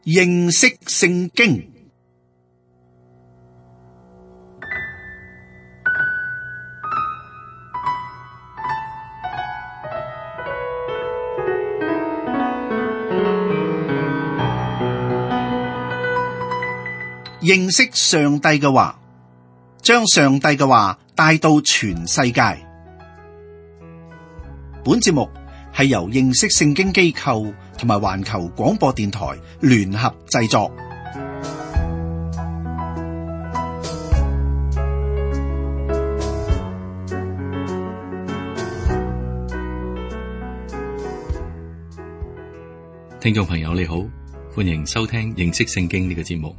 認識聖經。認識上帝嘅話，將上帝嘅話帶到全世界。本節目係由認識聖經機構同埋環球廣播電台聯合製作。聽眾朋友你好，歡迎收聽認識聖經呢個節目。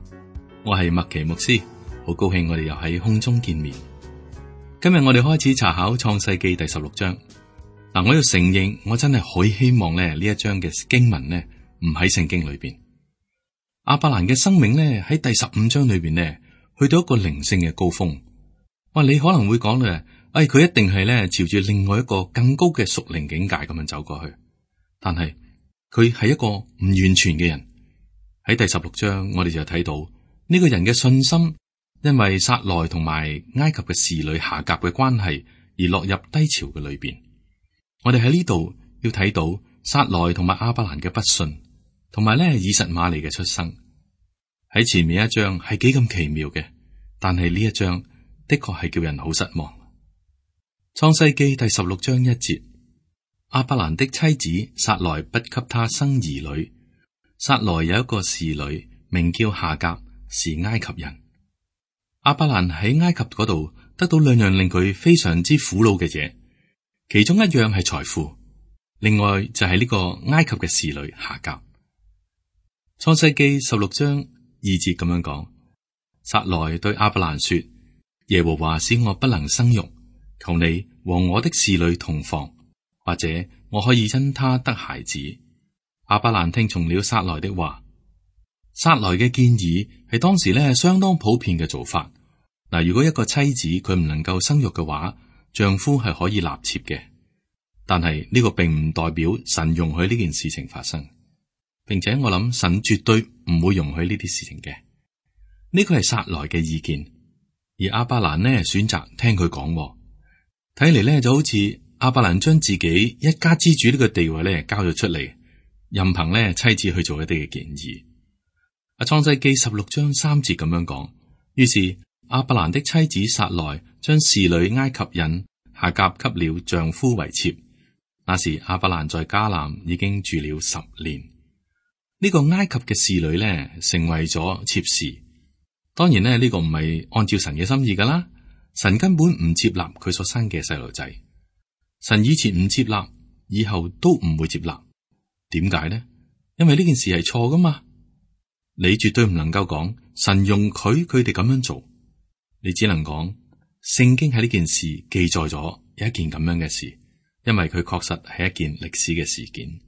我係麥奇牧師，好高興我哋又喺空中見面。今日我哋開始查考創世記第16章。嗱，我要承認，我真係好希望呢一章嘅經文呢唔喺聖經裏邊。亞伯蘭嘅生命呢喺第15章裏邊呢去到一個靈性嘅高峰。哇，你可能會講咧，佢一定係呢朝住另外一個更高嘅屬靈境界咁樣走過去。但係佢係一個唔完全嘅人。喺第16章，我哋就睇到呢個人嘅信心，因為撒萊同埋埃及嘅侍女夏甲嘅關係而落入低潮嘅裏邊。我哋喺呢度要睇到撒萊同埋亞伯蘭嘅不信，同埋以實瑪利嘅出生。喺前面一章係幾咁奇妙嘅，但係呢一章的確係叫人好失望。創世記第16章1節，亞伯蘭的妻子撒萊不給他生兒女。撒萊有一個侍女，名叫夏甲，是埃及人。亞伯蘭喺埃及嗰度得到兩樣令佢非常之苦惱嘅嘢，其中一樣係財富，另外就係呢個埃及嘅侍女夏甲。創世記16章2節咁樣講，撒萊對亞伯蘭說：耶和華使我不能生育，求你和我的侍女同房，或者我可以因他得孩子。亞伯蘭聽從了撒萊的話。撒萊嘅建議係當時相當普遍嘅做法。嗱，如果一個妻子佢唔能夠生育嘅話，丈夫係可以納妾嘅。但係呢個並唔代表神容許呢件事情發生，並且我諗神絕對唔會容許呢啲事情嘅。呢個係撒萊嘅意見，而亞伯蘭選擇聽佢講。睇嚟就好似亞伯蘭將自己一家之主呢個地位交咗出嚟，任憑妻子去做一啲嘅建議。創世記16章3節咁樣講，於是亞伯蘭的妻子撒萊將侍女埃及人夏甲給了丈夫為妾。那時亞伯蘭在迦南已經住了10年。呢個埃及嘅侍女成為咗妾侍。當然呢個唔係按照神嘅心意噶啦，神根本唔接納佢所生嘅細路仔。神以前唔接納，以後都唔會接納。點解呢？因為呢件事係錯噶嘛。你絕對唔能夠講神容許佢哋咁樣做，你只能講聖經喺呢件事記載咗有一件咁樣嘅事，因為佢確實係一件歷史嘅事件。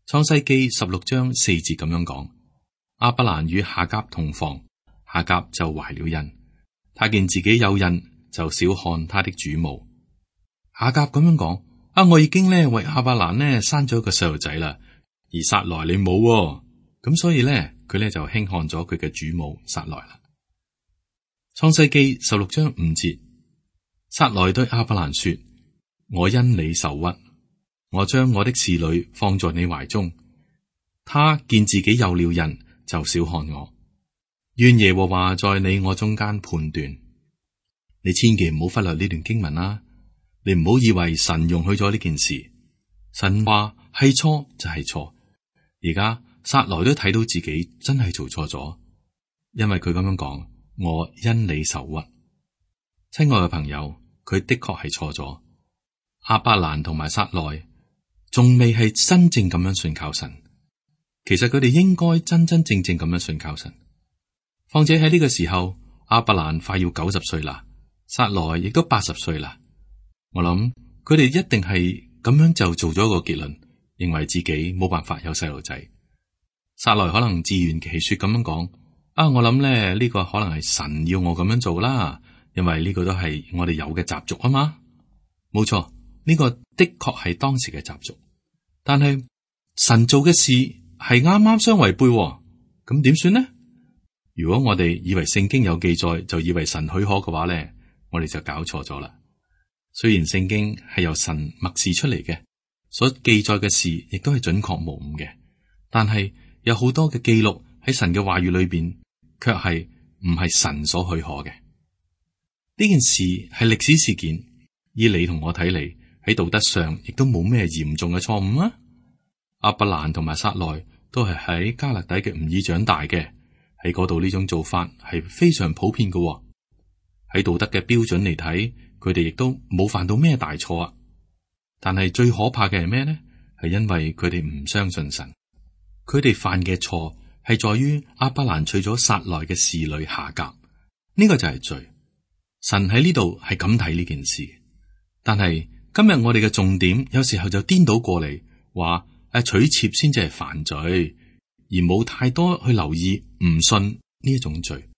創世記16章4節咁樣講，亞伯蘭與夏甲同房，夏甲就懷了孕，他見自己有孕，就小看他的主母。夏甲咁樣講，我已經為亞伯蘭生咗一個細路仔啦，而撒萊你冇，咁所以佢就輕看咗佢嘅主母撒萊啦。創世記16章5節，撒萊對亞伯蘭說：我因你受屈，我將我的侍女放在你懷中。他見自己有了孕，就小看我。願耶和華在你我中間判斷。你千祈唔好忽略呢段經文啦，你唔好以為神容許咗呢件事，神話係錯就係錯。而家撒萊都睇到自己真係做錯咗，因為佢咁樣講，我因你受屈。親愛嘅朋友，佢的確係錯咗。亞伯蘭同埋撒萊仲未係真正咁樣信靠神，其實佢哋應該真真正正咁樣信靠神。況且喺呢個時候，亞伯蘭快要90歲啦，撒萊亦都80歲啦。我諗佢哋一定係咁樣就做咗一個結論，認為自己冇辦法有細路仔。撒萊可能自圓其說咁樣講，我諗呢個可能係神要我咁樣做啦，因為呢個都係我哋有嘅習俗啊嘛。冇錯，呢個的確係當時嘅習俗，但係神做嘅事係啱啱相違背喎。咁點算呢？如果我哋以為聖經有記載，就以為神許可嘅話咧，我哋就搞錯咗啦。雖然聖經係由神默示出嚟嘅，所記載嘅事亦都係準確無誤嘅，但係有好多嘅記錄喺神嘅話語裏邊，卻係唔係神所許可嘅。呢件事係歷史事件，以你同我睇嚟，喺道德上亦都冇咩嚴重嘅錯誤啊。亞伯蘭同埋撒萊都係喺加勒底嘅吾爾長大嘅，喺嗰度呢種做法係非常普遍嘅喎。喺道德嘅標準嚟睇，佢哋亦都冇犯到咩大錯啊。但係最可怕嘅係咩呢？係因為佢哋唔相信神，佢哋犯嘅錯係在於亞伯蘭娶咗撒萊嘅侍女夏甲，呢個就係罪。神喺呢度係咁睇呢件事，但係今日我哋嘅重點有時候就顛倒過嚟，話娶妾先至係犯罪，而冇太多去留意唔信呢一種罪。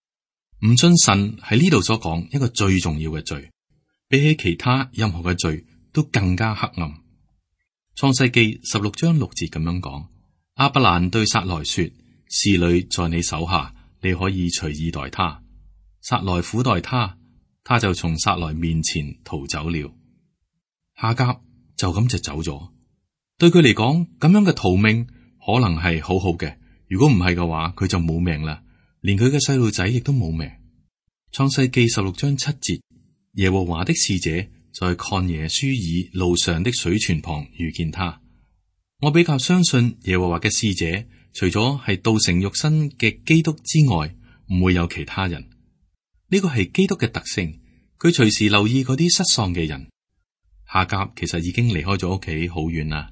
唔信神係呢度所講一個最重要嘅罪，比起其他任何嘅罪都更加黑暗。創世記16章6節咁樣講：亞伯蘭對撒萊說，侍女在你手下，你可以隨意待她。撒萊苦待她，他就從撒萊面前逃走了。夏甲就咁就走咗。對佢嚟講，咁樣嘅逃命可能係好好嘅，如果唔係嘅話，佢就冇命啦，連佢嘅細路仔亦都冇命。創世記16章7節，耶和華的使者在曠野書珥路上的水泉旁遇見他。我比較相信耶和華嘅使者，除咗係道成肉身嘅基督之外，唔會有其他人。呢個係基督嘅特性，佢隨時留意嗰啲失喪嘅人。夏甲其實已經離開咗屋企好遠啦。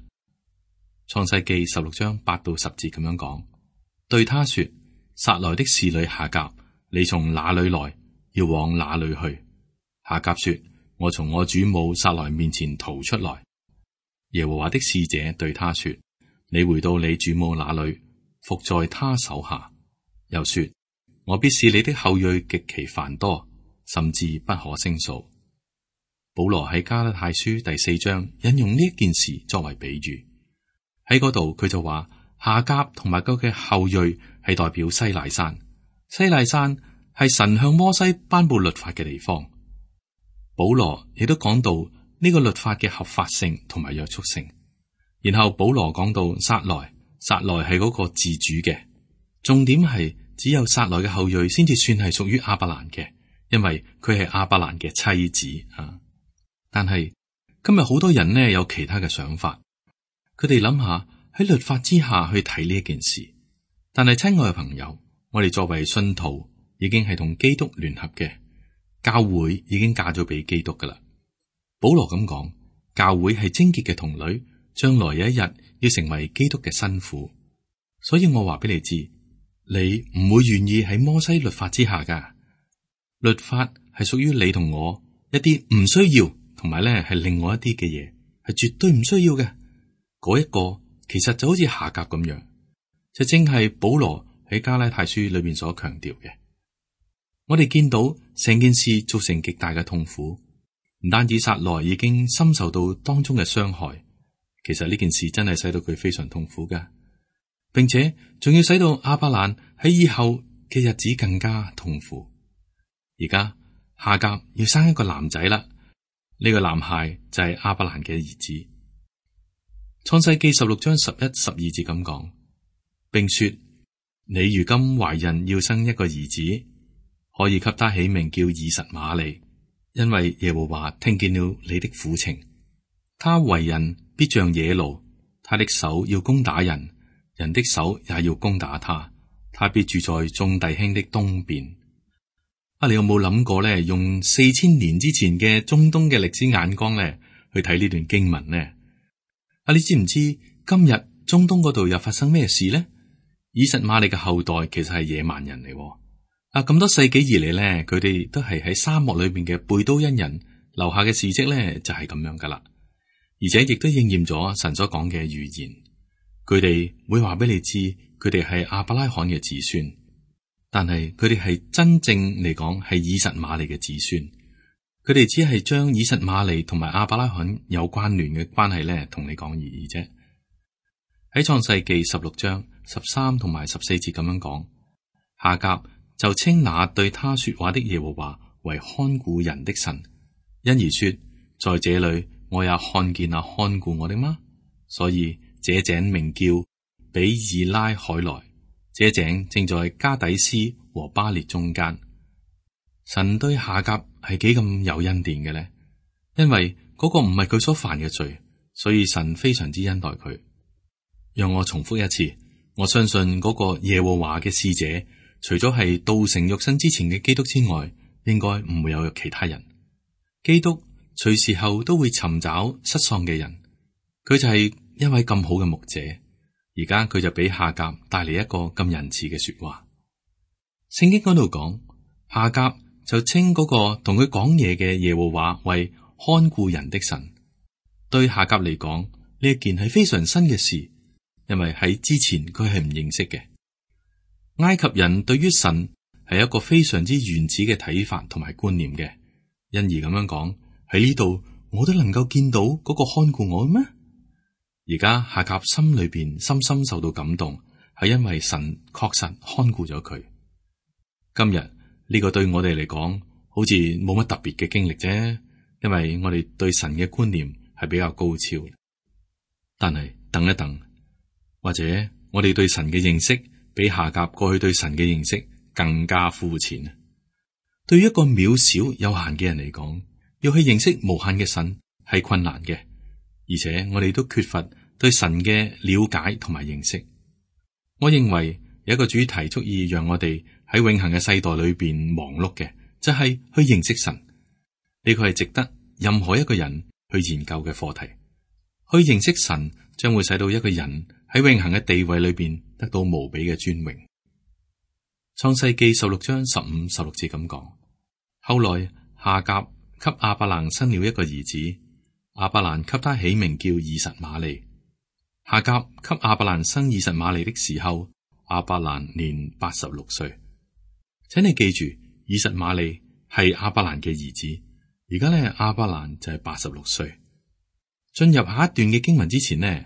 創世記16章8到10節咁樣講，對他說：撒萊的侍女夏甲，你從哪裏來，要往哪裏去？夏甲說：我從我主母撒萊面前逃出來。耶和華的使者對他說：你回到你主母那裏，伏在他手下。又說：我必使你的後裔極其繁多，甚至不可勝數。保羅喺加拉太書第4章引用呢一件事作為比喻，喺嗰度佢就話夏甲同埋佢嘅後裔係代表西奈山，西奈山係神向摩西頒布律法嘅地方。保羅亦都講到呢個律法嘅合法性同埋約束性。然後保羅講到撒萊係嗰個自主嘅，重點係只有撒萊嘅後裔先至算係屬於亞伯蘭嘅，因為佢係亞伯蘭嘅妻子啊。但係今日好多人呢有其他嘅想法，佢哋諗下喺律法之下去睇呢一件事。但係親愛嘅朋友，我哋作為信徒已經係同基督聯合嘅，教會已經嫁咗俾基督噶啦。保羅咁講，教會係貞潔嘅童女，將來有一日要成為基督嘅新婦。所以我話俾你知，你唔會願意喺摩西律法之下噶。律法係屬於你同我一啲唔需要，同埋咧係另外一啲嘅嘢，係絕對唔需要嘅。嗰一個其實就好似夏甲咁樣，就正係保羅喺加拉太書裏邊所強調嘅。我哋見到成件事造成極大嘅痛苦，唔單止撒萊已經深受到當中嘅傷害，其實呢件事真係使到佢非常痛苦噶，並且仲要使到亞伯蘭喺以後嘅日子更加痛苦。而家夏甲要生一個男仔啦，呢個男孩就係亞伯蘭嘅兒子。創世記16章11、12節咁講，並說：你如今懷孕要生一個兒子，可以給他起名叫以實瑪利，因為耶和華聽見了你的苦情。他為人必像野驢，他的手要攻打人，人的手也要攻打他。他必住在眾弟兄的東邊。你有冇諗過咧？用4000年之前嘅中東嘅歷史眼光咧，去睇呢段經文呢？你知唔知今日中東嗰度又發生咩事呢？以實瑪利嘅後代其實係野蠻人嚟。咁多世紀以嚟咧，佢哋都係喺沙漠裏邊嘅貝都因人留下嘅事跡咧，就係咁樣噶啦。而且亦都應驗咗神所講嘅預言，佢哋會話俾你知，佢哋係亞伯拉罕嘅子孫。但係佢哋係真正嚟講係以實瑪利嘅子孫，佢哋只係將以實瑪利同埋亞伯拉罕有關聯嘅關係咧，同你講而已啫。喺創世記16章13同埋14節咁樣講，夏甲就稱那對他說話的耶和華為看顧人的神，因而說，在這裏我也看見那看顧我的嗎？所以這井名叫比爾拉海萊，這井正在加底斯和巴列中間。神對夏甲係幾咁有恩典嘅呢？因為嗰個唔係佢所犯嘅罪，所以神非常之恩待佢。讓我重複一次，我相信嗰個耶和華嘅使者，除咗係道成肉身之前嘅基督之外，應該唔會有其他人。基督隨時候都會尋找失喪嘅人，佢就係一位咁好嘅牧者。而家佢就俾夏甲帶嚟一個咁仁慈嘅說話。聖經嗰度講，夏甲就稱嗰個同佢講嘢嘅耶和華為看顧人的神。對夏甲嚟講，呢一件係非常新嘅事，因為喺之前佢係唔認識嘅。埃及人對於神係一個非常之原始嘅睇法同埋觀念嘅，因而咁樣講，喺呢度我都能夠見到嗰個看顧我咩？而家夏甲心裏邊深深受到感動，係因為神確實看顧咗佢。今日呢個對我哋嚟講好似冇乜特別嘅經歷啫，因為我哋對神嘅觀念係比較高超。但係等一等，或者我哋對神嘅認識比夏甲過去對神嘅認識更加膚淺。對於一個渺小有限嘅人嚟講，要去認識無限嘅神係困難嘅。而且我哋都缺乏對神嘅了解同埋認識。我認為有一個主題足以讓我哋喺永恆嘅世代裏邊忙碌嘅，就係去認識神。呢個係值得任何一個人去研究嘅課題。去認識神將會使到一個人喺永恆嘅地位裏邊得到無比嘅尊榮。創世記16章15、16節咁講，後來夏甲給亞伯蘭生了一個兒子。亞伯蘭給他起名叫以實瑪利。夏甲給亞伯蘭生以實瑪利的時候，亞伯蘭年86歲。請你記住，以實瑪利係亞伯蘭嘅兒子。而家呢，亞伯蘭就係86歲。進入下一段嘅經文之前呢，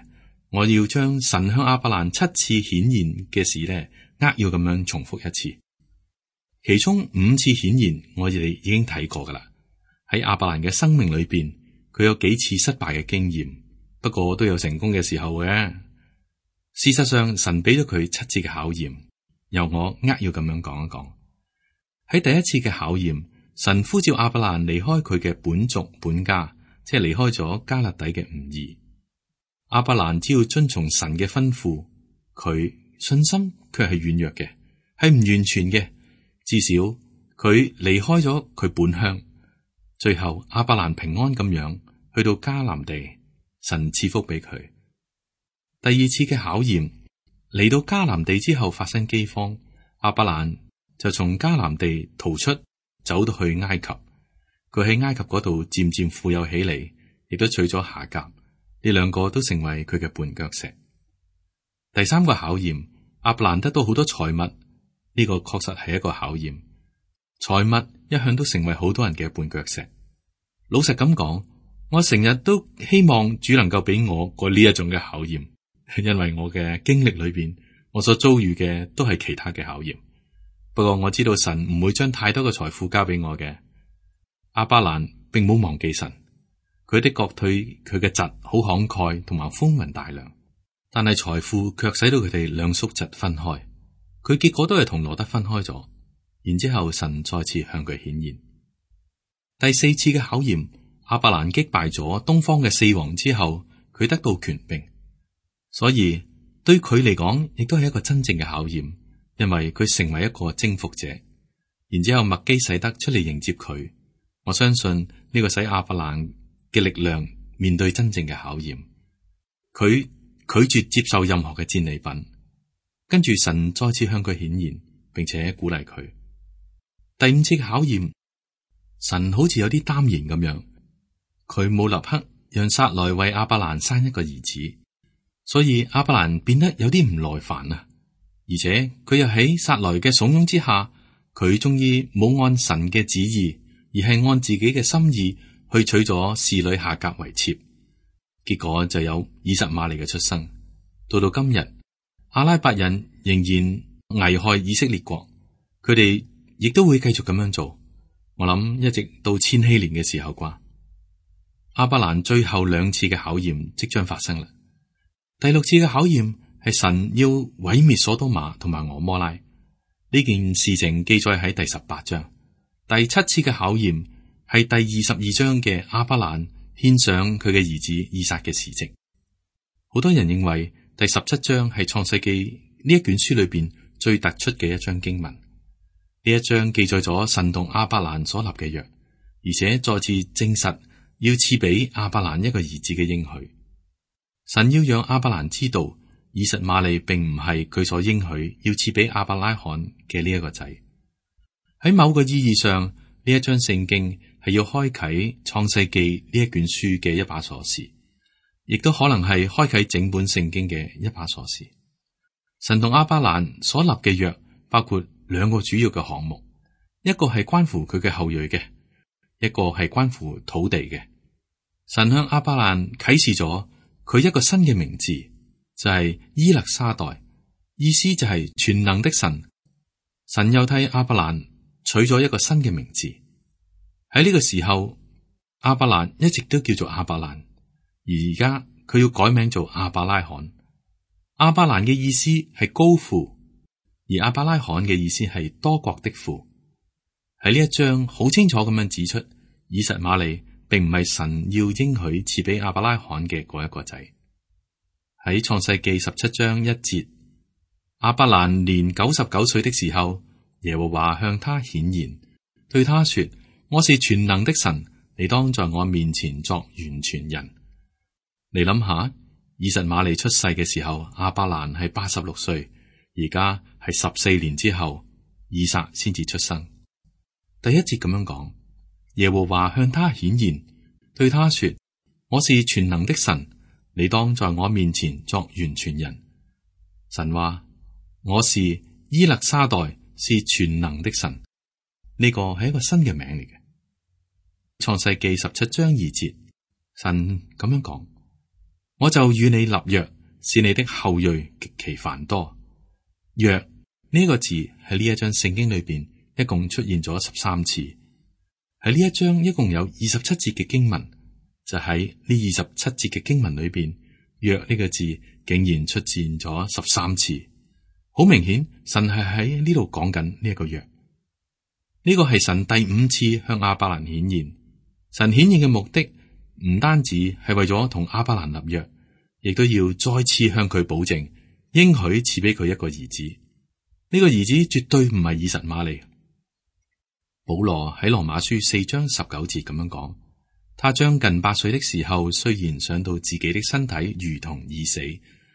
我要將神向亞伯蘭7次顯現嘅事呢，扼要咁樣重複一次。其中5次顯現我哋已經睇過噶啦。喺亞伯蘭嘅生命裏邊，佢有幾次失敗嘅經驗，不過都有成功嘅時候嘅。事實上，神俾咗佢7次嘅考驗，由我扼要咁樣講一講。喺第一次嘅考驗，神呼召亞伯蘭離開佢嘅本族本家，即係離開咗迦勒底嘅吾珥。亞伯蘭只要遵從神嘅吩咐，佢信心卻係軟弱嘅，係唔完全嘅。至少佢離開咗佢本鄉，最後亞伯蘭平安咁樣去到迦南地，神賜福俾佢。第二次嘅考驗嚟到迦南地之後，發生饑荒，亞伯蘭就從迦南地逃出，走到去埃及。佢喺埃及嗰度漸漸富有起嚟，亦都娶咗夏甲，呢兩個都成為佢嘅絆腳石。第三個考驗，亞伯蘭得到好多財物，呢個確實係一個考驗。財物一向都成為好多人嘅絆腳石。老實咁講，我成日都希望主能夠俾我過呢一種嘅考驗，因為我嘅經歷裏邊，我所遭遇嘅都係其他嘅考驗。不過我知道神唔會將太多嘅財富交俾我嘅。亞伯蘭並冇忘記神，佢的確對佢嘅侄好慷慨同埋寬宏大量，但係財富卻使到佢哋兩叔侄分開。佢結果都係同羅得分開咗。然之後神再次向佢顯現。第四次嘅考驗，亞伯蘭擊敗咗東方嘅4王之後，佢得到權柄，所以對佢嚟講亦都係一個真正嘅考驗，因為佢成為一個征服者。然之後麥基洗德出嚟迎接佢，我相信呢個使亞伯蘭嘅力量面對真正嘅考驗。佢拒絕接受任何嘅戰利品，跟住神再次向佢顯現，並且鼓勵佢。第五次嘅考驗，神好似有啲擔憂咁樣，佢冇立刻讓撒萊為亞伯蘭生一個兒子，所以亞伯蘭變得有啲唔耐煩啊！而且佢又喺撒萊嘅慫恿之下，佢終於冇按神嘅旨意，而係按自己嘅心意去娶咗侍女夏甲為妾，結果就有以實瑪利嘅出生。到今日，阿拉伯人仍然危害以色列國，佢哋亦都會繼續咁樣做。我諗一直到千禧年嘅時候啩。亞伯蘭最後2次嘅考驗即將發生啦。第6次嘅考驗係神要毀滅所多瑪同埋俄摩拉，呢件事情記載喺第18章。第7次嘅考驗係第22章嘅亞伯蘭獻上佢嘅兒子以撒嘅事跡。好多人認為第17章係創世記呢一卷書裏邊最突出嘅一章經文。呢一章記載咗神同亞伯蘭所立嘅約，而且再次證實要賜俾亞伯蘭一個兒子嘅應許。神要讓亞伯蘭知道，以實瑪利並唔係佢所應許要賜俾亞伯拉罕嘅呢一個仔。喺某個意義上，呢一章聖經係要開啟創世記呢一卷書嘅一把鎖匙，亦都可能係開啟整本聖經嘅一把鎖匙。神同亞伯蘭所立嘅約包括2個主要嘅項目，一個係關乎佢嘅後裔嘅，一個係關乎土地嘅。神向亞伯蘭啟示咗佢一個新嘅名字，就係伊勒沙代，意思就係全能的神。神又替亞伯蘭取咗一個新嘅名字。喺呢個時候，亞伯蘭一直都叫做亞伯蘭，而家佢要改名做亞伯拉罕。亞伯蘭嘅意思係高父，而亞伯拉罕嘅意思係多國的父。喺呢一章好清楚咁樣指出，以實瑪利並唔係神要應許賜俾亞伯拉罕嘅嗰一個仔。喺創世記17章1節，亞伯蘭年99歲的時候，耶和華向他顯現，對他說：我是全能的神，你當在我面前作完全人。你諗下，以實瑪利出世嘅時候，亞伯蘭係86歲，而家係14年之後，以撒先至出生。第1節咁樣講，耶和華向他顯現，對他說：我是全能的神，你當在我面前作完全人。神話：我是伊勒沙代，是全能的神。呢個係一個新嘅名嚟嘅。創世記17章2節，神咁樣講：我就與你立約，使你的後裔極其繁多。約呢個字喺呢一章聖經裏邊一共出現咗13次。喺呢一章一共有27節嘅經文，就喺呢27節嘅經文裏邊，約呢個字竟然出現咗13次。好明顯，神係喺呢度講緊呢一個約。呢個係神第5次向亞伯蘭顯現。神顯現嘅目的唔單止係為咗同亞伯蘭立約，亦都要再次向佢保證，應許賜俾佢一個兒子。呢個兒子絕對唔係以實瑪利。保羅喺羅馬書4章19節咁樣講：他將近8歲的時候，雖然想到自己的身體如同已死，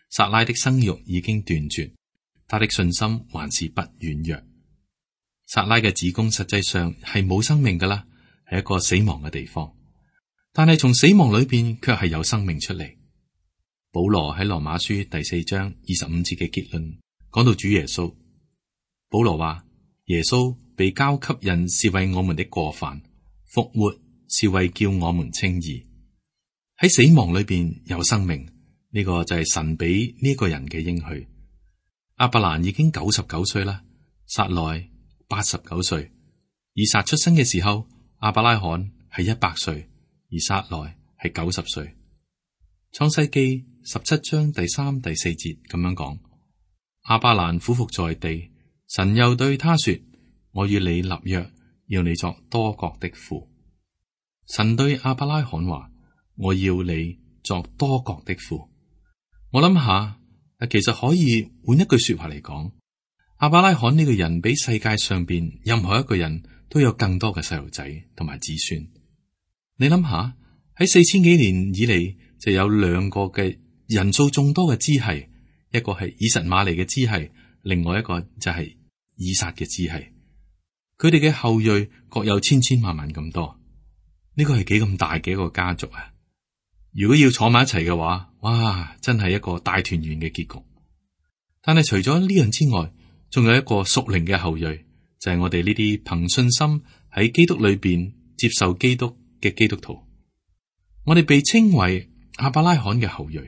撒拉的生育已經斷絕，他的信心還是不軟弱。撒拉嘅子宮實際上係冇生命噶啦，係一個死亡嘅地方，但係從死亡裏邊卻係有生命出嚟。保羅喺羅馬書第4章25節嘅結論講到主耶穌，保羅話：耶穌被交給人是為我們的過犯，復活是為叫我們稱義。喺死亡裏邊有生命，呢個就係神俾呢個人嘅應許。亞伯蘭已經99歲啦，撒萊89歲，以撒出生嘅時候，亞伯拉罕係100歲，而撒萊係90歲。創世記17章第3、第4節咁樣講：亞伯蘭俯伏在地，神又對他說：我與你立約，要你作多國的父。神對亞伯拉罕話：我要你作多國的父。我諗下，其實可以換一句說話嚟講，亞伯拉罕呢個人比世界上邊任何一個人都有更多嘅細路仔同埋子孫。你諗下，喺4000幾年以嚟就有2個嘅人數眾多嘅支系，一個係以實瑪利嘅支系，另外一個就係以撒嘅支系。佢哋嘅後裔各有千千萬萬咁多，呢個係幾咁大嘅一個家族啊！如果要坐埋一齊嘅話，哇，真係一個大團圓嘅結局。但係除咗呢樣之外，仲有一個屬靈嘅後裔，就係我哋呢啲憑信心喺基督裏邊接受基督嘅基督徒。我哋被稱為亞伯拉罕嘅後裔，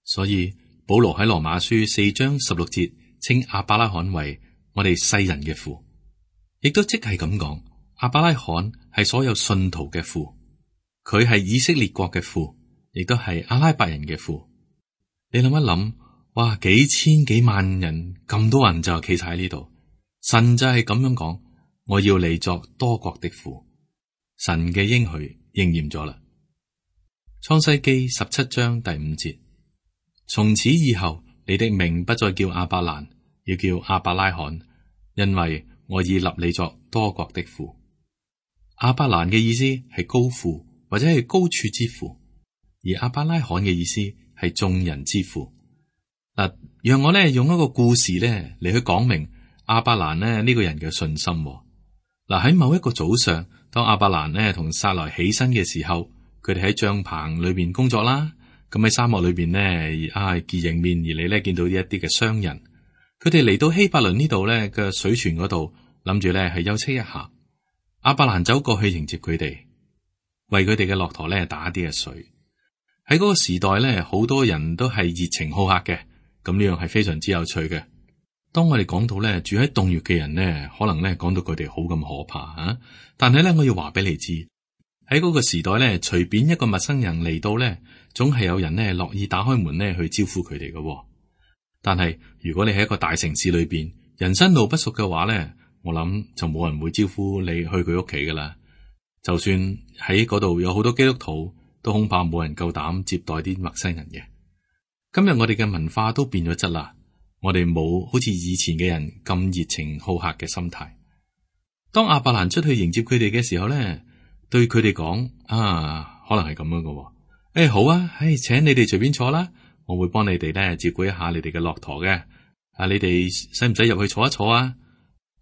所以保羅喺羅馬書4章16節稱亞伯拉罕為我哋世人嘅父，亦都即係咁講，亞伯拉罕係所有信徒嘅父，佢係以色列國嘅父，亦都係阿拉伯人嘅父。你諗一諗，哇，幾千幾萬人咁多人就企晒喺呢度，神就係咁樣講，我要你作多國的父。神嘅應許應驗咗啦。創世記17章第5節，從此以後，你的名不再叫亞伯蘭，要叫亞伯拉罕，因為我已立你作多國的父。亞伯蘭嘅意思係高父或者係高處之父，而亞伯拉罕嘅意思係眾人之父。嗱，讓我咧用一個故事咧嚟去講明亞伯蘭咧呢個人嘅信心。嗱，喺某一個早上，當亞伯蘭咧同撒萊起身嘅時候，佢哋喺帳篷裏邊工作啦。咁喺沙漠裏邊咧，迎面而嚟咧見到一啲嘅商人，佢哋嚟到希伯倫呢度咧嘅水泉嗰度，諗住咧係休息一下。亞伯蘭走過去迎接佢哋，為佢哋嘅駱駝咧打啲嘅水。喺嗰個時代咧，好多人都係熱情好客嘅，咁呢樣係非常之有趣嘅。當我哋講到咧住喺洞穴嘅人咧，可能咧講到佢哋好咁可怕啊！但係咧，我要話俾你知，喺嗰個時代咧，隨便一個陌生人嚟到咧，總係有人咧樂意打開門咧去招呼佢哋嘅。但係如果你喺一個大城市裏邊，人生路不熟嘅話咧，我諗就冇人會招呼你去佢屋企噶啦。就算喺嗰度有好多基督徒，都恐怕冇人夠膽接待啲陌生人嘅。今日我哋嘅文化都變咗質啦，我哋冇好似以前嘅人咁熱情好客嘅心態。當亞伯蘭出去迎接佢哋嘅時候咧，對佢哋講可能係咁樣嘅。好啊，請你哋隨便坐啦，我會幫你哋咧照顧一下你哋嘅駱駝嘅。你哋使唔使入去坐一坐啊？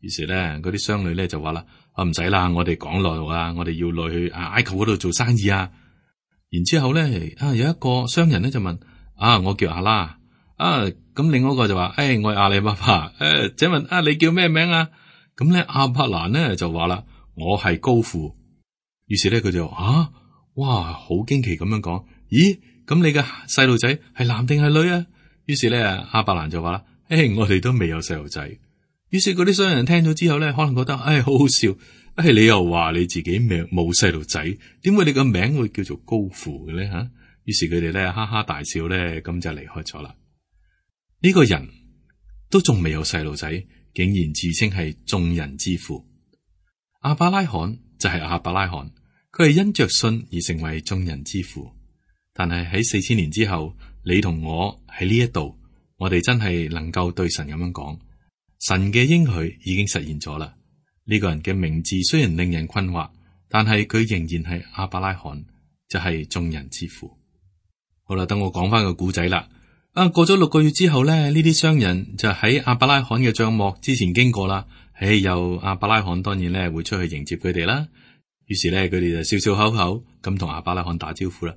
於是咧，嗰啲商女咧就話啦，唔使啦，我哋趕路啊，我哋要落去埃及嗰度做生意啊。然之後咧，有一個商人咧就問，我叫阿拉，咁另外一個就話，我係阿里巴巴，請問你叫咩名啊？咁咧，亞伯蘭咧就話啦，我係高父。於是咧，佢就哇，好驚奇咁樣講，咦，咁你嘅細路仔係男定係女啊？於是咧，亞伯蘭就話啦，我哋都未有細路仔。於是嗰啲商人聽咗之後咧，可能覺得，好好笑，你又話你自己冇細路仔，點會你個名會叫做高父嘅咧吓？於是佢哋咧哈哈大笑咧，咁就離開咗啦。呢個人都仲未有細路仔，竟然自稱係眾人之父。亞伯拉罕就係亞伯拉罕，佢係因着信而成為眾人之父。但係喺4000年之後，你同我喺呢一度，我哋真係能夠對神咁樣講，神嘅應許已經實現咗啦。呢個人嘅名字雖然令人困惑，但係佢仍然係亞伯拉罕，就係眾人之父。好啦，等我講翻個故仔啦。過咗6個月之後咧，呢啲商人就喺亞伯拉罕嘅帳幕之前經過啦。又亞伯拉罕當然咧會出去迎接佢哋啦。於是咧，佢哋就笑笑口口咁同亞伯拉罕打招呼啦。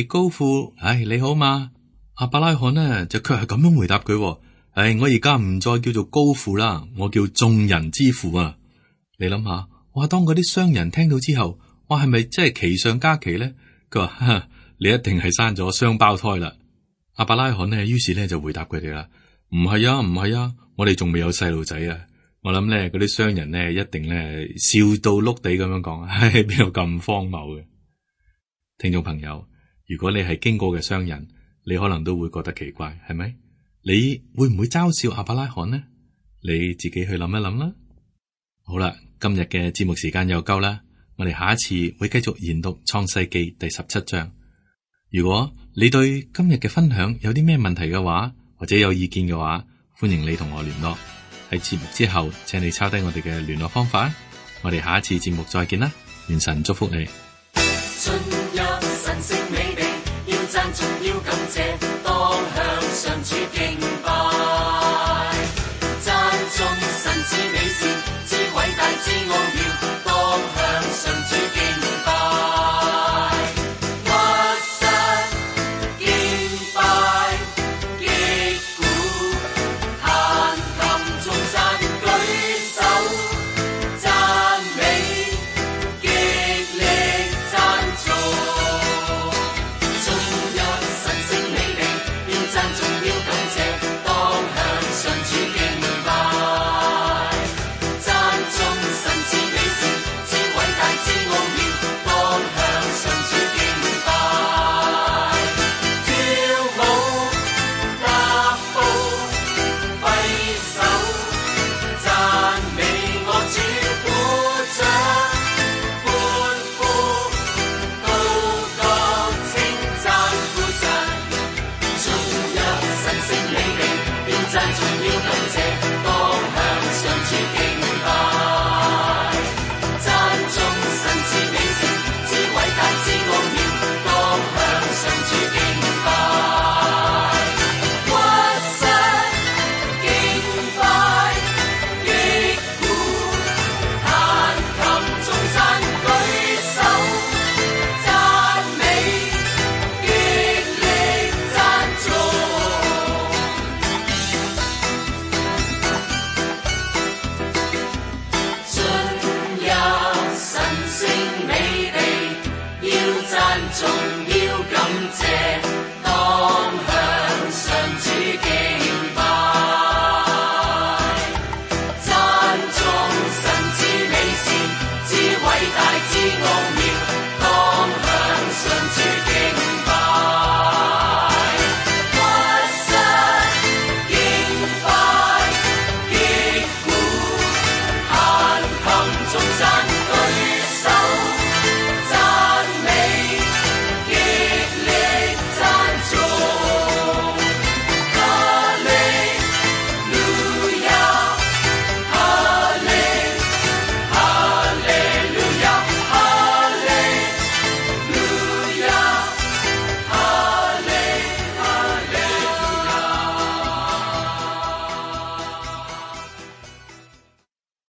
高父，你好嘛？亞伯拉罕呢就卻係咁樣回答佢。我而家唔再叫做高父啦，我叫眾人之父啊。你諗下，哇！當嗰啲商人聽到之後，哇，係咪真係奇上加奇咧？佢話，你一定係生咗雙胞胎啦。亞伯拉罕呢，於是咧就回答佢哋啦，唔係啊，我哋仲未有細路仔啊。我諗咧，嗰啲商人咧一定咧笑到碌地咁樣講，邊有咁荒謬嘅？聽眾朋友，如果你係經過嘅商人，你可能都會覺得奇怪，係咪？你會唔會嘲笑亞伯拉罕呢？你自己去諗一諗啦。好啦，今日嘅節目時間又夠啦，我哋下一次會繼續研讀創世記第17章。如果你對今日嘅分享有啲咩問題嘅話，或者有意見嘅話，歡迎你同我聯絡。喺節目之後，請你抄低我哋嘅聯絡方法。我哋下一次節目再見啦，願神祝福你。進入神聖美地，要讚頌要感謝，當向上主敬拜。